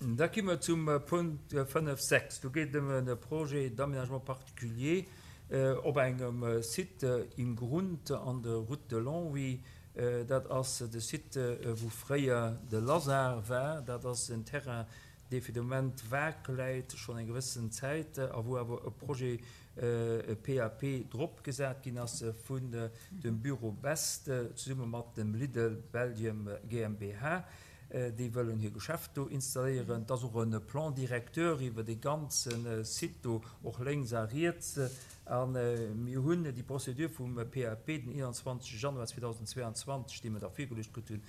Da gi mer zum Punkt 5, 6. Do geet et ëm e Projet d'aménagement particulier op engem Site im Grund an der Route de Longwy. Dat ass de Site, wou fréier de Lazare war. Dat ass en Terrain, dee fir de Moment vag läit, schonn eng gewëssen Zäit, a wou awer e Projet PAP drop gesat ginn ass vun dem Büro Best zesumme mat dem Lidl Belgium GmbH. Déi wëllen hir Geschäft do installéieren. Et ass och e Plan directeur iwwer dee ganze Site do, och lénks a riets. A mir hunn déi Procédure vum PAP den 21 Januar 2022, dee mir da virgeluecht kritt hunn,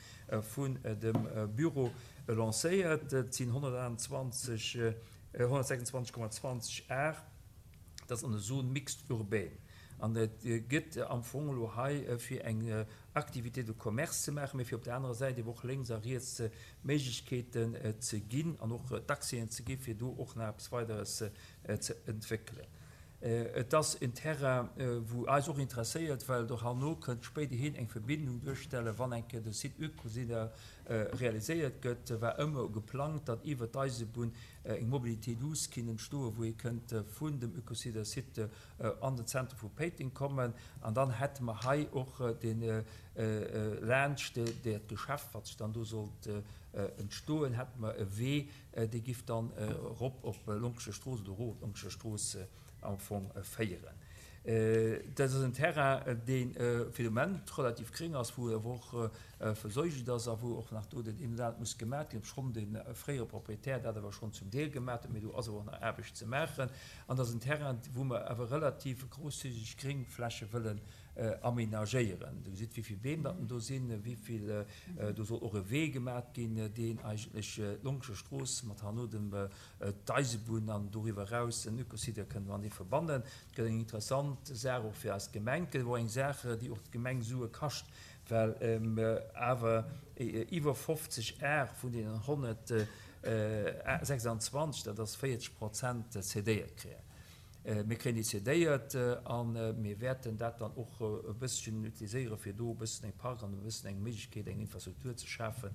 vun dem Büro lancéiert. Et sinn 128, 126,20 Ar. Dat ass an der Zone mixte urbaine. An et gëtt am Fong elo hei fir eng Activité de commerce ze maachen, mee fir op der anerer Säit eeben och lénks a riets Méiglechkeeten ze ginn an och d'Accèsen ze gi fir do och nach eppes Weideres ze entwéckelen. Et ass en Terrain, wou eis och interesséiert, well et och herno kënnt spéiderhin eng Verbindung duerstellen, wann eng Kéier de Site Ucosina realiséiert gëtt, war ëmmer geplangt, datt iwwert d'Eisebunn eng Mobilité douce kinnt entstoen, wou ee kënnt vun dem Ucosina Site an den Zentrum vu Péiteng kommen. An dann hätte mer hei och de laanscht dat Geschäft, wat sech dann do sollt entstoen, hätte mer e Wee, Dee giff dann erop op Lonkescher Strooss oder erof op Lonkescher Strooss am Fong féieren. Dat ass en Terrain, dee fir de Moment relativ gréng ass, wou awer och versäugelt ass a wou och nach do dat een oder anert muss gemaat ginn, obschonn de fréiere Proprietär dat awer schonn zum Deel gemaat huet, mee do ass awer och nach Aarbecht ze maachen. An dat ass en Terrain, wou mer awer relativ grosszügeg Gréngfläche wëllen amenagéieren. Dir gesitt, wéi vill Beem datt do sinn, wéi vill, do soll och e Wee gemat ginn, deen eigentlech d'Lonkescher Strooss mat herno dem d'Eisebunn an doriwwer eraus den Ökosite kënnt matenee verbannen. Et gëtt eng interessant Saach och fir eis Gemeng. Et gëtt awer och eng Saach, déi och d'Gemeng Sue kascht, well mer awer iwwer 50 Ar vun deenen 126, dat ass 40 Prozent, cedéiert kréien. Mir kréien déi cédéiert a mir wäerten dat dann och e bësschen utiliséieren, fir do e bëssen eng Park an e bëssen eng Méiglechkeet, eng Infrastruktur ze schafen,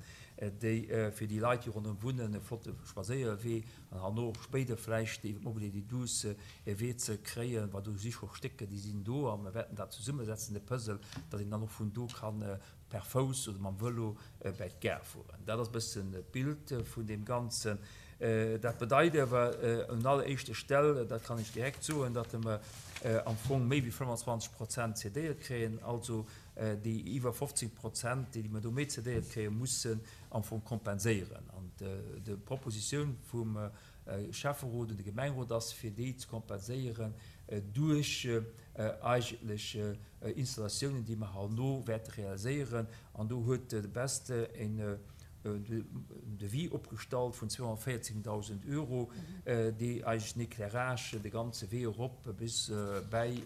déi fir déi Leit, déi ronderëm wunnen, e flotte Spadséierwee an herno och spéider vläicht iwwer d'Mobilité douce e Wee ze kréien, well do si scho Stécker, déi sinn do a mir wäerten dat zesummesetzen, de Puzzle, datt een dann och vun do kann per Fouss oder mam Vëlo bäi d'Gare fueren. Dat ass e bëssen d'Bild vun deem Ganzen. Dat bedeit awer un alleréischter Stell, dat kann ech direkt soen, datt mer am Fong méi wéi 25 Prozent cédéiert kréien. Also déi iwwer 15 Prozent, déi mer do méi cédéiert kréien, mussen am Fong kompenséieren. An d'Propositioun vum Schäfferot un de Gemengerot ass, fir déi ze kompenséieren duerch eigentlech Installatiounen, déi mer herno wäerte realiséieren. An do huet de Best en Devis opgestallt vun 214.000 Euro, déi eigentlech den Éclairage de ganze Wee erop bis bäi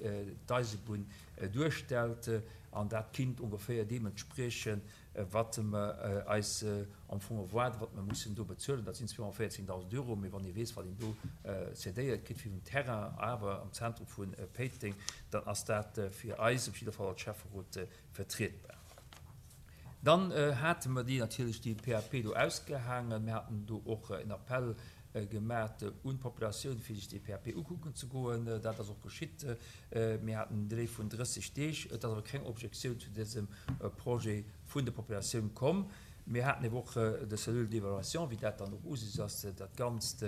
d'Eisebunn duerstellt. An dat kinnt ongeféier deem entspriechen, wat mer eis am Fong erwaarden, wat mer mussen do bezuelen, dat sinn 214.000 Euro. Mee wann ee weess, wat een do cédéiert kritt fir en Terrain, awer am Zentrum vu Péiteng, dann ass dat fir eis op jidder Fall als Schäfferot vertrietbar. Dann hate mer déi natierlech déi PAP do ausgehaangen. Mir haten do och en Appell gemat un d'Populatioun, fir sech déi PAP ukucken ze goen. Dat ass och geschitt. Mir haten en Delai vun 30 Deeg. Et ass awer keng Objektioun zu dësem Projet vun der Populatioun komm. Mir haten ebe och de Cellule d'évaluation, wéi dat dann och Usus ass, dat Ganzt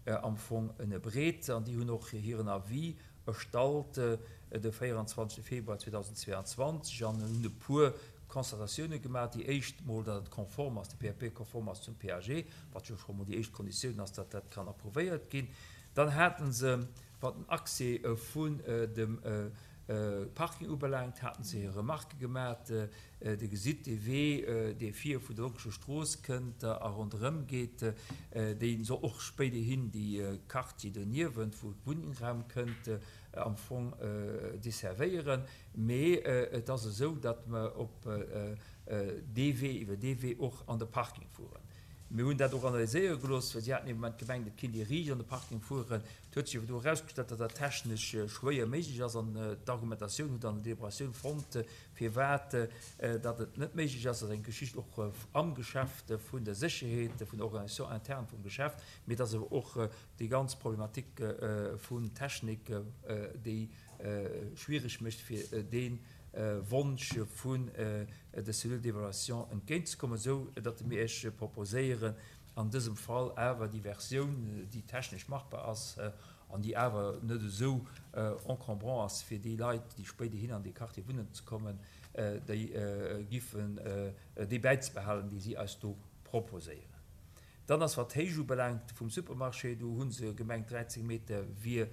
am Fong ënnerbreet. An déi hunn och hiren Avis erstallt de 24 Februar 2022 an hunn e puer Constatatiounen gemaach. Déi éischt mol, datt et konform ass, de PAP konform ass zum PAG, wat jo scho mol déi éischt Konditioun ass, datt dat kann approuvéiert ginn. Dann hate se, wat den Accès vun dem Parking ubelaangt, hate se hir Remarquë gemaach. Dir gesitt dee Wee, dee vir vun der Lonkescher Strooss kënnt a ronderëm geet, dee soll och spéiderhin déi Quartier doniewent, wou Wunnraum kënnt, am Fong desservéieren. Mee et ass esou, datt mer op dee Wee, iwwer dee Wee och an de Parking fueren. Mir hunn dat och analyséiere gelooss, well si haten ee Moment gemengt, et kéint ee riicht an de Parking fueren. Et huet sech awer do erausgestallt, datt dat technesch schwéier méiglech ass an d'Argumentatioun hutt an der Deliberatioun fonnt, firwat datt et net méiglech ass. Dat ass eng Geschicht och am Geschäft vun der Sécherheet, vun der Organisation interne vum Geschäft, mee et ass awer och déi ganz Problematik vun Technik, déi schwiereg mécht fir dee Wonsch vun der Cellule d'évaluation entgéintzekommen, esou datt mir Iech proposéieren, an dësem Fall awer déi Versioun, déi technesch machbar ass an déi awer net esou encombrant ass fir déi Leit, déi spéiderhin an dee Quartier wunnen ze kommen, déi giffen déi bäizebehalen, déi si eis do proposéieren. Dann ass, wat d'Héicht ubelaangt vum Supermarché, do hu se gemengt, 13 Meter wier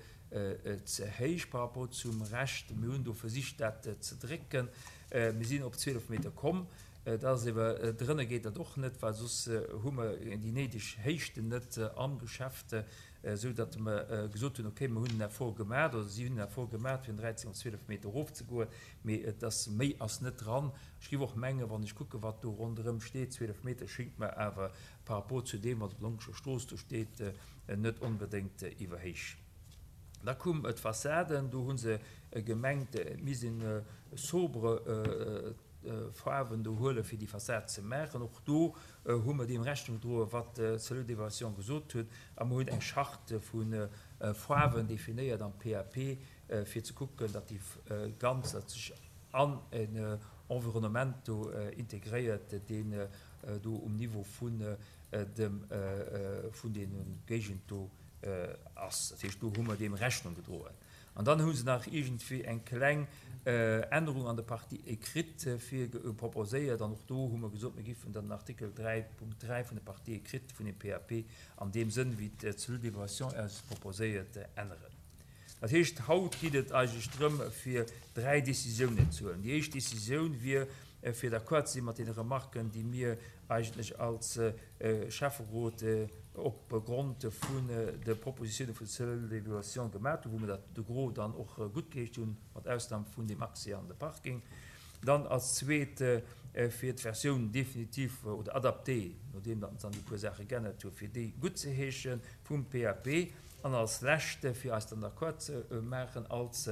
ze héich par rapport zum Rescht. Mir hunn do versicht, dat ze drécken. Mir sinn op 12 Meter komm. Dat ass ewer, drënner geet dat och net, well soss hu mer déi néideg Héichten net am Geschäft, esou datt mer gesot hunn, okay, mer hunn en Effort gemaach, oder si hunn en Effort gemaach, fir vun 13 op 12 Meter erofzegoen, mee et ass, méi ass net dran. Ech géif och mengen, wann ech kucken, wat do ronderëm steet, 12 Meter schéngt mer awer par rapport zu deem, wat op der Lonkescher Strooss do steet, net onbedéngt iwwerhéich. Da koum d'Fassaden, do hu se gemengt, et misst een sobre Faarwen do huelen, fir déi Fassad ze maachen. Och do hu mer deem Rechnung gedroen, wat d'Cellule d'évaluation gesot huet, a mer hunn eng Charte vu Faarwen definéiert am PAP, fir ze kucken, datt déi ganz, datt sech an en Environnement do integréiert, deen do um Niveau vun dem, vun deene Géigend do ass. Dat heescht, do hu mer deem Rechnung gedroen. An dann hu se nach iergendwéi eng kleng Ännerung an der Partie écrite vir proposéiert. An och do hu mer gesot, mir géifen dann den Artikel 3.3 vun der Partie écrite vun dem PAP an deem Sënn, wéi d'Cellule d'évaluation eis et proposéiert, änneren. Dat heescht, haut geet et eigentlech drëm, fir dräi Décisiounen ze huelen. Déi éischt Décisioun wier, fir d'accord ze si mat deene Remarken, déi mir eigentlech als Schäfferot opgrond vun de Propositione vun der Cellule d'évaluation gemaat hunn, wou mir dat de Gros dann och guttgeheescht hunn, mat Ausnam vun dem Accès an de Parking. Dann als zweet, fir d'Versioun définitive oder adaptée, nodeem datt se dann déi puer Saache geännert hunn, fir déi guttzeheesche vum PAP. An als lescht, fir eis dann d'accord ze maachen als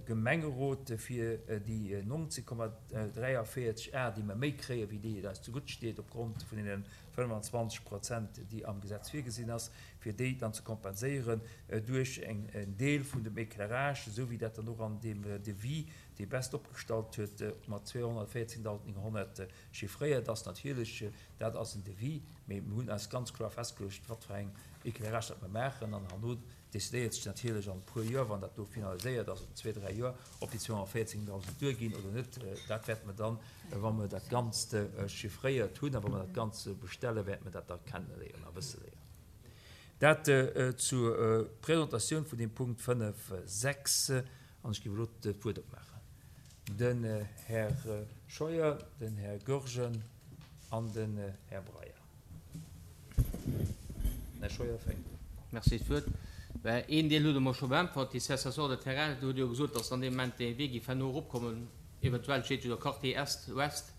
Gemengerot, fir déi 19,43 Ar, déi mer méi kréien, wéi déi et eis zegutt steet, opgrond vun deene 25 Prozent, déi am Gesetz virgesinn ass, fir déi dann ze kompenséieren duerch en Deel vun dem Éclairage, esou wéi dat dann och an deem Devis, dee Best opgestallt huet, mat 214.900 chiffréiert ass. Natierlech, dat ass en Devis, mee mir hunn eis ganz kloer festgeluecht, wat fir eng Éclairage dat mer maachen an herno decidéiert sech natierlech an e puer Joer, wann dat do finaliséiert ass, oder zwee, dräi Joer, ob déi 214.000 duerginn oder net. Dat wäerte mer dann, wa mer dat Ganzt chiffréiert hunn a wa mer dat Ganzt bestellen, wäerte mer dat da kenneléieren a wësse léieren. Dat zur Presentatioun vun deem Punkt 5, 6. An ech géif elo d'Wuert opmaachen. Den Här Scheuer, den Här Goergen an den Här Breyer. Här Scheuer fänkt un. Merci fir d'Wuert. Ben, een Deel hutt Der mer scho beäntwert, déi Cessation de terrain. Do hutt Der jo gesot, dass an deem Moment dee Wee géif herno eropkommen, eventuell steet jo do Quartier Est, Ouest,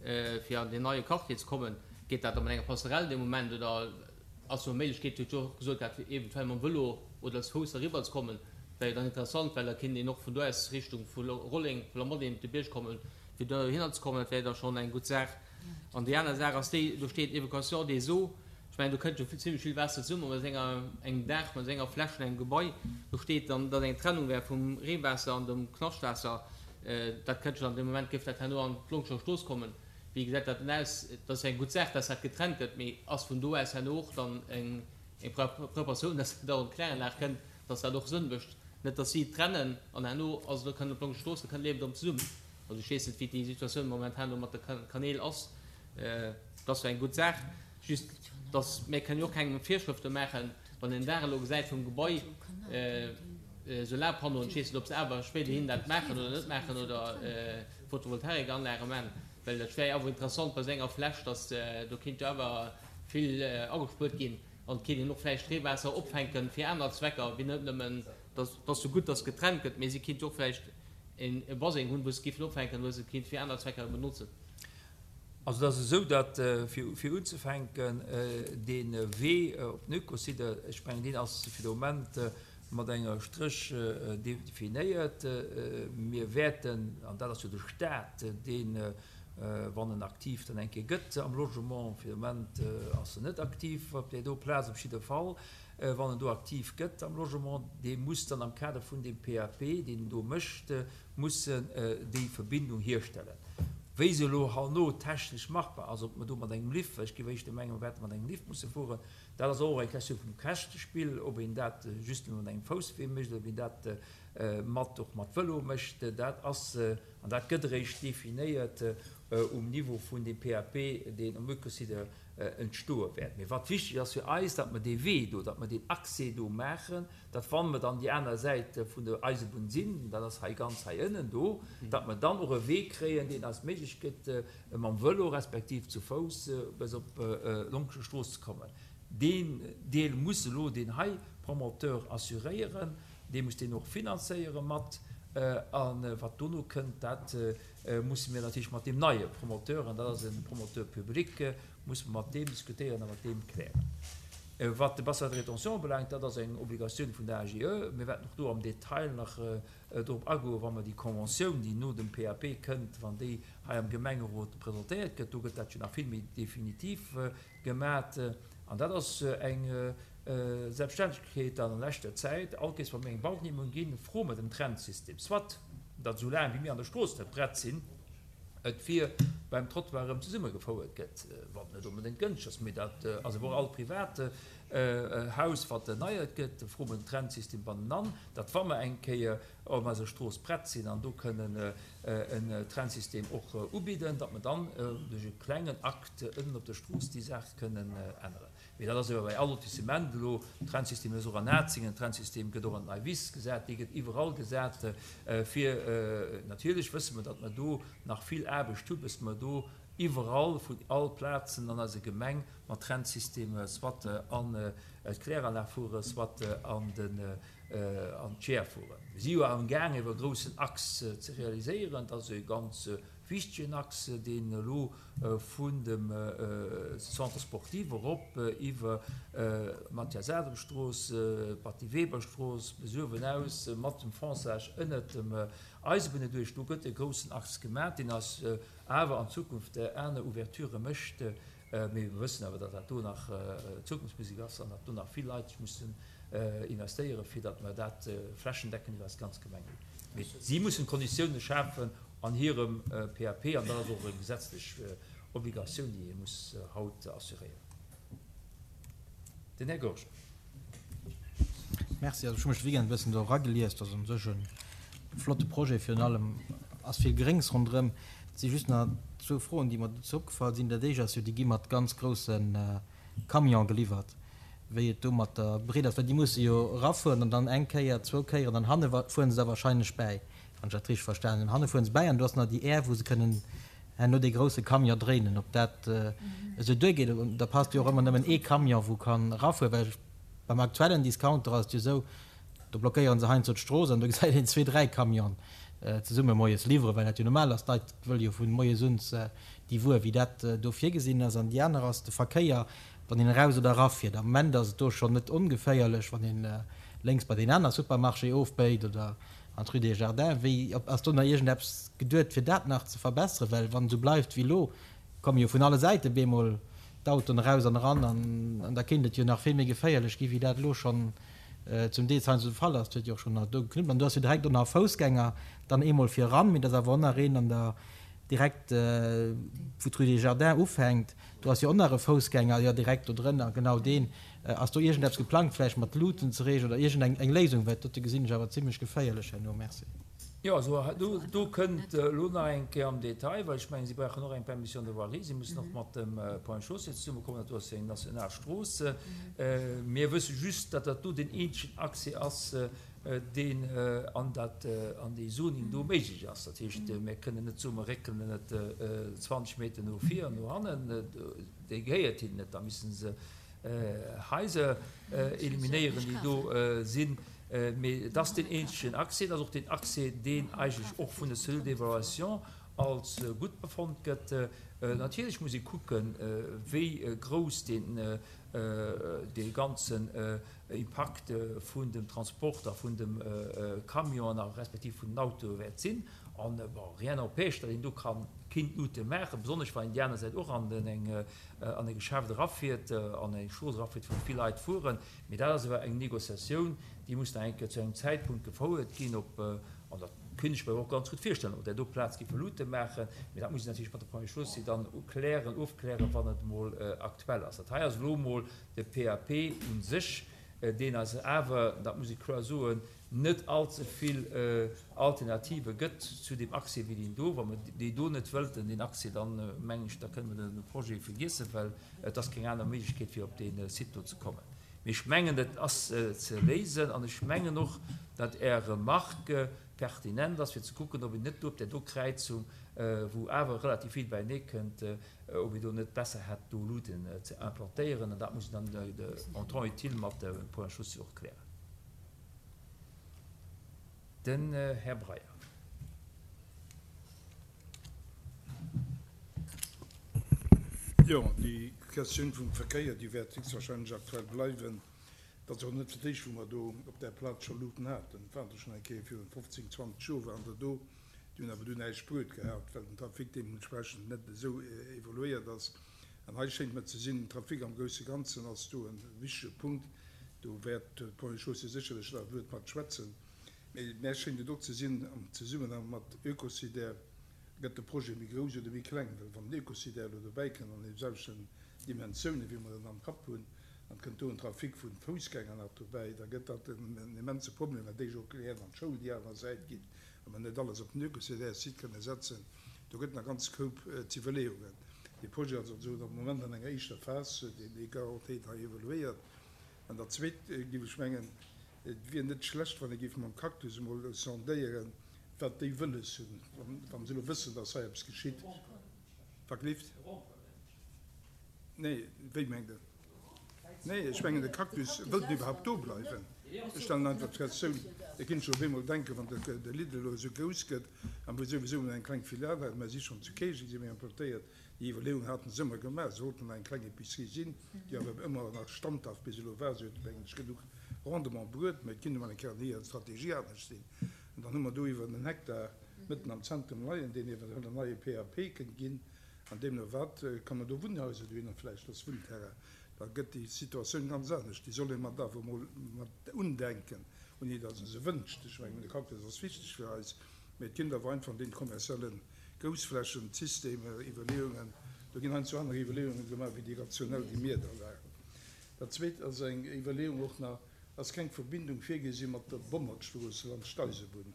fir an deen neie Quartier ze kommen. Geet dat da mat enger Passerelle dee Moment oder ass do Méiglechkeet, Dir hutt jo och gesot gehat, fir eventuell mam Vëlo oder als Fouss eriwwer ze kommen? Wär jo dann interessant, well da kéint een och vun do aus Richtung vu Rolleng, vu Lamotteng op de Bierg kommen, fir dohinner ze kommen. Dat wär jo da schonn eng gutt Saach. An déi aner Saach ass déi, do steet Évacuation des eaux. Ech mengen, do kënnt jo zimlech vill Waasser zesummen mat enger, engem Daach, mat enger Fläch vun engem Gebai. Do steet dann, datt eng Trennung wär vum Reewaasser an dem Knaschtwaasser. Dat kënnt jo dann, dee Moment géif dat herno an d'Longscher Strooss kommen. Wéi gesäit dat denn aus? Dat ass jo eng gutt Saach, datt dat getrennt gëtt, mee ass vun do aus herno och dann eng Preparatioun, datt dat och an d'Kläranlag kënnt, datt dat och Sënn mécht? Net, datt si et trennen an herno ass et, kënnt op d'Longscher Strooss, da kënnt d'Liewen erëm zesummen. Also ech weess net, wéi déi Situatioun momentan do mat de Kanäl ass. Dat ass jo eng gutt Saach, just dass mir kënnen jo och keng Virschrëfte maachen, wann een den Daach elo gesäit vum Gebai, Solarpannoen, ech weess net, ob se awer spéiderhin dat maachen oder net maachen oder Photovoltaikanlage maachen, well dat wär jo awer interessant bei esou enger Fläch, dass do kéint jo awer vill agespuert ginn an et kéint een och vläicht Reewaasser opfänken fir aner Zwecker wéi net nëmmen, dass ass jo gutt, dass getrennt gëtt, mee si kéint jo och vläicht e Baseng hunn, wou se géifen opfänken, wou se et kéint fir aner Zwecker benotzen. Also et ass esou, datt, fir unzefänken, dee Wee op den Oekosite, ech mengen, deen ass fir de Moment mat enger Stréch definéiert. Mir wäerten, an dat ass jo de Stat, deen, wann en aktiv dann eng Kéier gëtt am Logement, fir de Moment ass en net aktiv op där do Plaz, op jidde Fall, wann en do aktiv gëtt am Logement, dee muss dann am Kader vun deem PAP, deen en do mécht, mussen déi Verbindung hierstellen. Wéi se elo herno technesch machbar ass, ob mer do mat engem Lift, well ech géif éischter mengen, mer wäerte mat engem Lift musse fueren, dat ass och eng Question vum Käschtespill, ob een dat just nëmme mat engem Fousswee mécht oder ob een dat mat och mat Vëlo mécht, dat ass, an dat gëtt eréischt definéiert um Niveau vun deem PAP, deen um Oekosite entstoe wäert. Mee wat wichteg ass fir eis, datt mer dee Wee do, datt mer deen Accès do maachen, datt wa mer dann déi aner Säit vun der Eisebunn sinn, dat ass hei ganz hei ënnen do, datt mer dann och e Wee kréien, deen eis d'Méiglech gëtt, mam Vëlo respektiv zu Fouss bis op d'Lonkescher Strooss ze kommen. Deen Deel muss elo deen hei Promoteur assuréieren, dee muss deen och finanzéiere mat. A wat dono kënnt, dat musse mir natierlech mat deem neie Promoteur, an dat ass e Promoteur public, musse mer mat deem diskutéieren a mat deem klären. Wat de Bassin de rétention ubelaangt, dat ass eng Obligatioun vun der AGE. Mir wäerten och do am Detail nach drop agoen, wa mer déi Conventioun, déi no dem PAP kënnt, wann déi hei am Gemengerot presentéiert gëtt. Do gëtt dat jo nach vill méi definitiv gemat. An dat ass eng Selbststännegkeet an leschter Zäit. All Kees, wa mir eng Baugenehmegung ginn, froe mer den Trennsystem, soit datt esou laang wéi mir an der Strooss net prett sinn, et vir beim Trottoir erëm zesummegefouert gëtt, wat net onbedéngt gënscht ass, mee dat ass awer och all privat Haus, wat erneiert gëtt, froe mer den Trennsystem bannenan, datt wa mer eng Kéier op eiser Strooss prett sinn an do kënnen en Trennsystem och ubidden, datt mer dann duerch e klengen Akt ënnen op der Strooss déi Saach kënnen änneren. Mee dat ass ewell bei all Lotissement elo. Trennsystem ass och an Atzingen, Trennsystem gëtt och an d'Nei Wiss gesat, dee gëtt iwwerall gesat, fir, natierlech wësse mer, datt mer do nach vill Aarbecht hu bis mer do iwwerall vun all Plazen an eiser Gemeng mat Trennsysteme soit an d'Kläranlag fuere soit an den an d'Scheer fueren. Mir si jo amgaang iwwer e groussen Axe ze realiséieren. Dat ass e ganz wichtegen Axe, deen elo vun dem Centre sportif erop iwwer d'Mathias-Adam-Strooss, d'Batty-Weber-Strooss bis uewen aus mat dem Fonçage ënnert dem Eisebunn erduerch. Do gëtt e groussen Axe gemaach, deen eis awer an Zukunft aner Ouverturë mécht. Mee mir wëssen awer, datt dat do nach Zukunftsmusek ass an datt do nach vill Leit mussen investéieren, fir datt mer dat flächendeckend iwwer eis ganz Gemeng hunn. Mee si mussen d'Konditiounen schafen an hirem PAP, an dat ass och eng gesetzlech Obligatioun, déi ee muss haut assuréieren. Den Här Goergen. Merci. Also ech hu mech de Weekend e bëssen do eragelies. Dat ass u sech e flotte Projet. Virun allem ass vill Gréngs ronderëm. Et si just nach zwou Froen, déi mer dozou opgefall sinn. Dat éischt ass jo, déi gi mat ganz grousse Camione geliwwert, wéi et do mat der Breet ass, well déi musse jo erafueren an dann eng Kéier, zwou Kéieren an hanne fuere se da wahrscheinlech bäi, wann ech dat richteg verstanen hunn. Hanne fuere se bäi an do ass nach déi Är, wou se kënnen herno dee grousse Camion dréinen, ob dat esou duergeet. Da passt jo och ëmmer nëmmen ee Camion, wou kann erafueren, well beim aktuellen Discounter ass et jo esou, do blockéiere se heiansdo d'Strooss an do gesäit een zwee, dräi Camionen zesumme moies liwweren, well dat jo normal ass, d'Leit wëlle jo vu moies un déi Wuer, wéi dat do virgesinn ass. An déi aner ass de Verkéier, wann een eraus oder erafiert. Am Moment ass et do schonn net ongeféierlech, wann een lénks bei deen aner Supermarché ofbéit oder an d'Rue des Jardins. Wéi, ass do nach iergendeppes geduet, fir dat nach ze verbesseren? Well wann et esou bleift wéi elo, komme jo vun alle Säite bemol d'Autoen eraus an eran an da kéint et jo nach vill méi geféierlech gi wéi dat elo schonn zum Deel heiansdo de Fall ass. Et huet jo och schonn nach do geknuppt an do ass jo direkt och nach e Foussgänger dann eemol viran, mee et ass awer och nach een an der direkt wou d'Rue des Jardins ufänkt, do ass jo och nach e Foussgänger, jo direkt do drënner, genau deen. Ass do iergendeppes geplangt, vläicht mat Luuten ze reegelen oder iergend eng eng Léisung? Well dat dote gesinn ech awer zimlech geféierlech herno. Merci. Jo, also do, do kënnt elo nach eng Kéier am Detail, well ech mengen, si brauchen och eng Permission de voirie, si mussen och mat dem Point Chaussée zesummekommen, dat do ass jo eng national Strooss. Mir wësse just, datt dat do deen eenzegen Accès ass, deen an dat, an dee Zoning do méiglech ass. Dat heescht, mir kënnen net soen, mer réckelen et 20 Meter no vir an no hannen, déi gehéiert hinnen net, da müssen se Haiser eliminéieren, déi do sinn. Mee et ass deen eenzegen Accès, et ass och deen Accès, deen eigentlech och vun der Cellule d'évaluation als gutt befonnt gëtt. Natierlech muss ee kucken, wéi grouss deen, dee ganzen Impakt vun dem Transport a vun dem Camion a respektiv vun den Autoe wäert sinn. An, bon, rien n'empêche, datt een do ka kinnt Luute maachen, besonnesch wann een déi aner Säit och an den eng, an e Geschäft erafiert, an eng Strooss erafiert, wou vill Leit fueren. Mee dat ass awer eng Négociatioun, déi muss nach eng Kéier zu engem Zäitpunkt gefouert ginn, ob, an dat kéint ech mer och ganz gutt virstellen, ob där do Plaz géife Luute maachen. Mee dat muss een natierlech mat de Ponts et Chaussées dann klären, ofklären, wann et emol aktuell ass. Dat hei ass elo emol de PAP u sech, deen eis awer, dat muss ech kloer soen, net allze vill Alternative gëtt zu deem Accès wéi deen do. Wa mer déi do net wëllten, deen Accès, dann mengen ech, da kënne mer de Projet vergiessen, well et ass keng aner Méiglechkeet fir op dee Site do ze kommen. Mee ech mengen, et ass ze léisen an ech mengen och, datt Är Remarque pertinent ass fir ze kucken, ob een net do op där do Kräizung, wou awer relativ vill beienee kënnt, ob een do net besser hätt do Luuten ze implantéieren. An dat muss een dann en temps utile mat de Ponts et Chaussées och klären. Den Här Breyer. Jo, déi Questioun vum Verkéier, déi wäert héchstwahrscheinlech aktuell bleiwen. Et ass och net fir d'éischt, wou mer do op där Plaz scho Luuten haten. Et waren der schonn eng Kéier virun 15, 20 Joer waren der do. Déi hunn awer dunn näischt bruet gehat, well den Trafic deementsprechend net esou evoluéiert ass. An hei schéngt mer ze sinn, den Trafic am grousse Ganzen ass do e wichtege Punkt. Do wäert d'Ponts et Chaussées sécherlech nach e Wuert mat schwätzen. Mee mär schéngt et och ze sinn, am Zesummenhang mat Oekosidaire gëtt de Projet méi grouss oder méi kleng. Well wann den Oekosidaire elo dobäi kënnt an deemselwechten Dimensiounen, wéi mer en am Kapp hunn, an et kënnt do en Trafic vu Foussgänger nach dobäi, da gëtt dat en immense Problem, well déi jo och gären an d'Schoul déi aner Säit ginn, wa mer net alles op den Oekosidaire-Site kënne setzen. Do gëtt nach ganz Koup z'Iwwerleeungen. Dee Projet ass also am Moment an enger éischter Phas, deen déi hei evoluéiert. An der zweet géif ech mengen, et wier net schlecht, wann ee géif mam Cactus emol sondéieren, wat déi wëlles hunn, wa se elo wëssen, dass hei eppes geschitt. Wat gleeft? Nee, wéi mengt Der? Nee, ech mengen, de Cactus, wëllt en iwwerhaupt do bleiwen? Ech stellen einfach d'Questioun. Da kinnt ech op eemol denken, wann de Lidl elo esou grouss gëtt, a mir souwisou eng kleng Filial haten, mer si schonn zu Käerjeng, si mir importéiert, déi Iwwerleeung haten se ëmmer gemaach, se wollten eng kleng Epicerie sinn, déi awer ëmmer nach standhaft bis elo war, se huet, mengen ech, genuch Rendement bruet, mä et kinnt emol eng Kéier an hirer Strategie anescht sinn. An dann hu mer do iwwer en Hektar mëtten am Zentrum leien, deen eventuell en neie PAP kënnt ginn. An deemno wat kann mer do Wunnhaiser dohinner, vläicht als Wunnterrain, da gëtt déi Situatioun ganz anescht. Déi soll ee mat awer emol mat undenken, ouni datt ee se wënscht. Ech mengen, de Cactus ass wichteg fir eis, mä et ginn awer einfach an deene kommerzielle Groussflächen Systemer, Iwwerleeungen, do ginn heiansdo aner Iwwerleeunge gemaach wéi déi rationell, déi mir da waren. Dat Zweet ass eng Iwwerleeung och nach, Ass keng Verbindung virgesi mat der Bommertstrooss laanscht d'Eisebunn?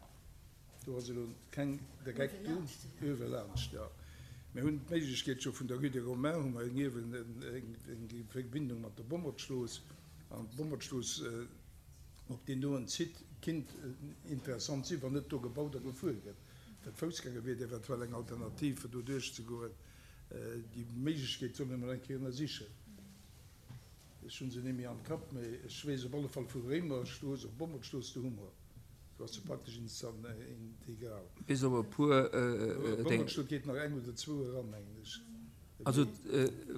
Do ass elo keng direkt do, uewe laanscht, jo. Mir hunn d'Méiglechkeet scho vun der Rue des Romains hu mer niewen eng Verbindung mat der Bommertstrooss. An d'Bommertstrooss op deen doen Site kinnt interessant sinn, wann net do gebaut a gefuer gëtt. Fir d'Foussgänger wier et eventuell eng Alternativ, fir do duerchzegoen. Déi Méiglechkeet soll een emol eng Kéier ënnersichen. Ech hunn se némmi am Kapp, mee ech weess op alle Fall vu Réimerstrooss op Bommertstrooss, do hu mer, do ass se praktesch integral. Bis op e puer Déng. Bommertstrooss geet nach eng oder zwou eran, mengen ech. Also,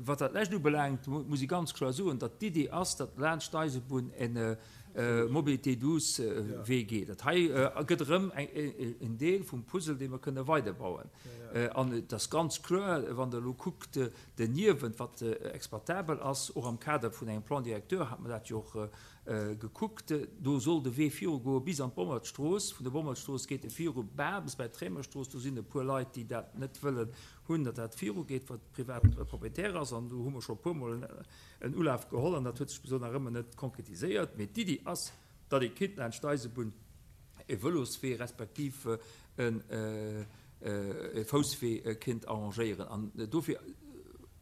wat dat lescht ubelaangt, muss ee ganz kloer soen, datt d'Idee ass, datt laanscht d'Eisebunn e Mobilité douce Wee geet. Dat hei gëtt erëm en Deel vum Puzzle, dee mer kënne weiderbauen. An et ass ganz kloer, wann Der elo kuckt, Derniewent, wat exploitabel ass, och am Kader vun engem Plan directeur hat mer dat jo och gekuckt, do soll de Wee virugoe bis an d'Bommertstrooss. Vun der Bommertstrooss geet e viru bal bis bei d'Réimerstrooss. Do sinn e puer Leit, déi dat net wëllen hunn, datt dat virugeet, wat privat Propriétaire ass. An do hu mer scho e puermol en Ulaf geholl an dat huet sech bis elo nach ëmmer net konkretiséiert. Mee d'Iddi ass, datt ee kinnt laanscht d'Eisebunn e Vëloswee respektiv e Fousswee kinnt arrangéieren. An dofir,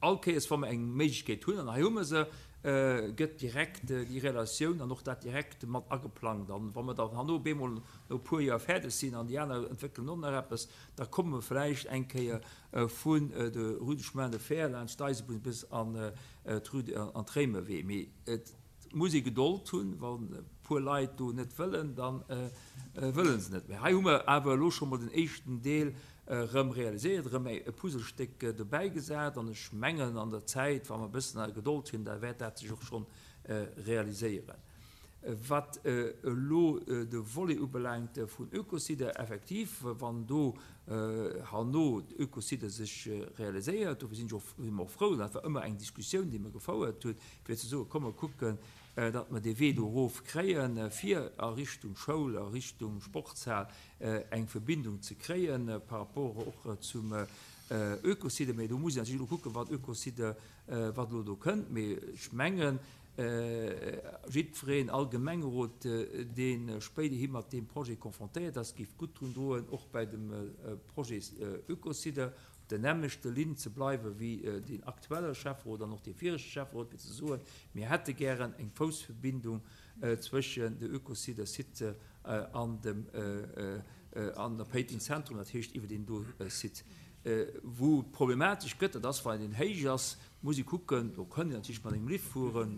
all Kéiers wa mer eng Méiglechkeet hunn, an hei hu mer se, gëtt direkt déi Relatioun an och dat direkt mat ageplangt. An wa mer dann herno op eemol no e puer Joer fäerdeg sinn an déi aner entwéckelen och nach eppes, da komme mer vläicht eng Kéier vun der Rue du Chemin de Fer laanscht d'Eisebunn bis an d'Rue, an d'Réimerwee. Mee et muss ee Gedold hunn, wann e puer Leit do net wëllen, da wëlle se net. Mä hei hu mer awer elo scho mol den éischten Deel. erëm realiséiert, erëm e Puzzlestéck dobäi gesat. An ech mengen, an der Zäit, wa mer e bëssen Gedold hunn, da wäert dat sech och schonn realiséieren. Wat elo de Volet ubelaangt vun Ökocide, effektiv, wann do herno d'Ökocide sech realiséiert, dofir sinn ech och, si mer och frou, dat war ëmmer eng Diskussioun, déi mer gefouert hunn, fir ze soen, komm mer kucken, datt mer dee Wee do erof kréien, fir a Richtung Schoul, a Richtung Sportshal eng Verbindung ze kréien par rapport och zum Ökocide. Mee do muss een natierlech elo kucken, wat Ökocide, wat elo do kënnt. Mee ech mengen, Jiddwereen, all Gemengerot, dee spéiderhi mat deem Projet confrontéiert ass, géif gutt drun doen, och bei dem Projet Ökocide op der nämmlechte Linn ze bleiwe wéi deen aktuelle Schäfferot an och dee viregte Schäfferot, fir ze soen, mir hätte gären eng Foussverbindung zwëschen de Ökocide-Site an dem an der Péiteng Zentrum, dat heescht iwwer deen do Site. Wou et problematesch gëtt, dat ass, wann een héich ass, muss ee kucken, do kënnt een natierlech mat engem Lift fueren.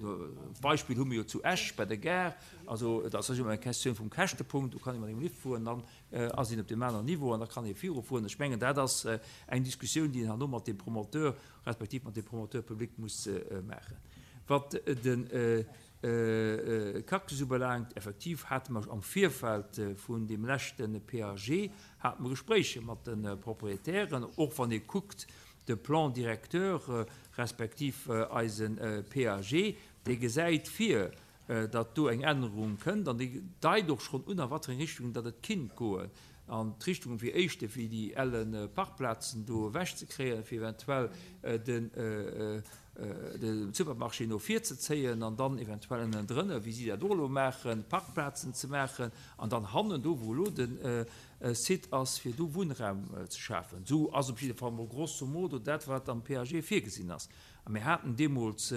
D'Beispill hu mir jo zu Esch bei der Gare. Also et ass ëmmer eng Questioun vum Käschtepunkt, do kann ee mat engem Lift fueren, dann ass een op deem aneren Niveau an da kann ee virufueren. Ech mengen, dat ass eng Diskussioun, déi een herno mat dem Promoteur respektiv mat dem Promoteur public muss maachen. Wat de Cactus ubelaangt, effektiv hate mer am Virfeld vun deem leschte PAG hate mer Gespréicher mat de Proprietären, och wann ee kuckt de Plan directeur respektiv eise PAG, dee gesäit vir, datt do eng Ännerung kënnt an dee deit och schonn un a wat fir eng Richtung datt et kinnt goen. An d'Richtung fir éischte fir déi elle Parkplazen do ewechzekréien, fir eventuell den de Supermarché no vir ze zéien an dann eventuell ënnendrënner, wéi si dat och elo maachen, Parkplazen ze maachen an dann hannen, do wou elo de Site ass, fir do Wunnraum ze schafen. Esou ass op jidde Fall mol grosso modo dat, wat am PAG virgesinn ass. A mir haten deemools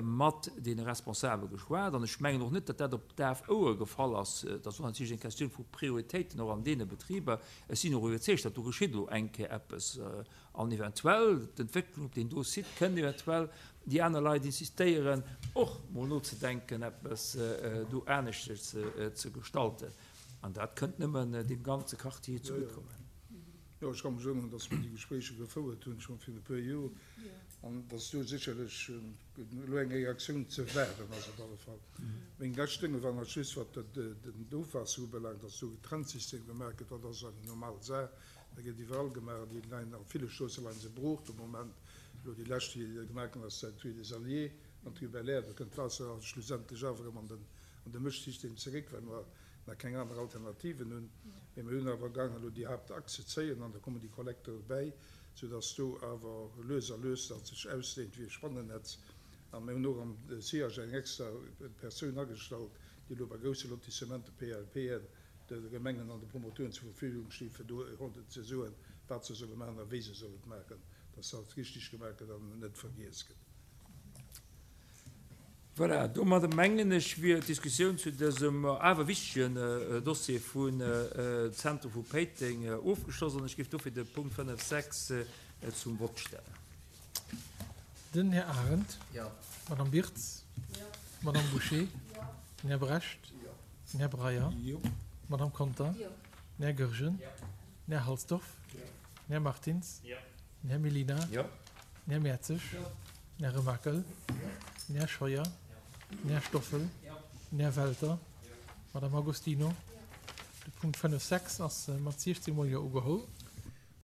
mat deene Responsabele geschwat an ech mengen och net, datt dat op daf Ouer gefall ass. Dat ass och natierlech eng Questioun vu Prioritéiten och an deene Betriber. Ech sinn och iwwerzeegt, datt do geschitt elo eng Kéier eppes. An eventuell d'Entwécklung op deem do Site kënnt eventuell déi aner Leit insistéieren, och mol nozedenken, eppes do aneschters ze gestalten. An dat kënnt nëmmen deem ganze Quartier zegutt kommen. Jo, ech ka mech erënneren, dass mer déi Gespréicher gefouert hunn, scho virun e puer Joer, an dass do sécherlech elo eng Reaktioun ze waarden ass op alle Fall. Meng lescht Dënge waren nach just, wat den Ofwaasser ubelaangt, dass do e Trennsystem gemaach gëtt. Dat ass eng normal Saach. Dat gëtt iwwerall gemaach an déi leien a ville Stroosse leie se brooch de Moment. Elo déi lescht, déi gemaach ginn ass, dat Rue des Alliés an d'Rue Belair, do kënnt d'Waasser also schlussendlech awer erëm an den an de Mëschsystem zeréck, well mer nach keng aner Alternativen hunn. Mee mir hunn awer gaangen elo déi Haaptachs ze zéien an da kommen déi Kollektere bäi, soudass do awer lues a lues dat sech ausdehnt wéi e Spannennetz. A mir hunn och am SIAG eng extra Persoun agestallt, déi elo bei grousse Lotissementen, PLPen, de Gemengen an de Promoteuren zur Verfügung stinn, fir do ze soen, wat se solle maachen a wéi se solle et maachen, dass dat richtig gemaach gëtt an net vergiess gëtt. Voilà, domadder mengen ech, wier d'Diskussioun zu dësem awer wichtegen Dossier vun Zentrum vu Péiteng ofgeschloss an ech géif dofir de Punkt 5, 6 zum Vott stellen. Den Här Arendt. Jo. D'Madame Birtz. Jo. D'Madame Bouché. Jo. Den Här Brecht. Jo. Den Här Breyer. Jo. D'Madame Conter. Jo. Den Här Goergen. Jo. Den Här Halsdorf. Jo. Den Här Martins. Jo. Den Här Mellina. Jo. Den Här Mertzig. Jo. Den Här Remakel. Jo. Den Här Scheuer. Jo. Den Här Stoffel. Jo. Den Här Welter. Jo. D'Madame Agostino. Jo. De Punkt 5, 6 ass mat 16 mol Jo ugeholl.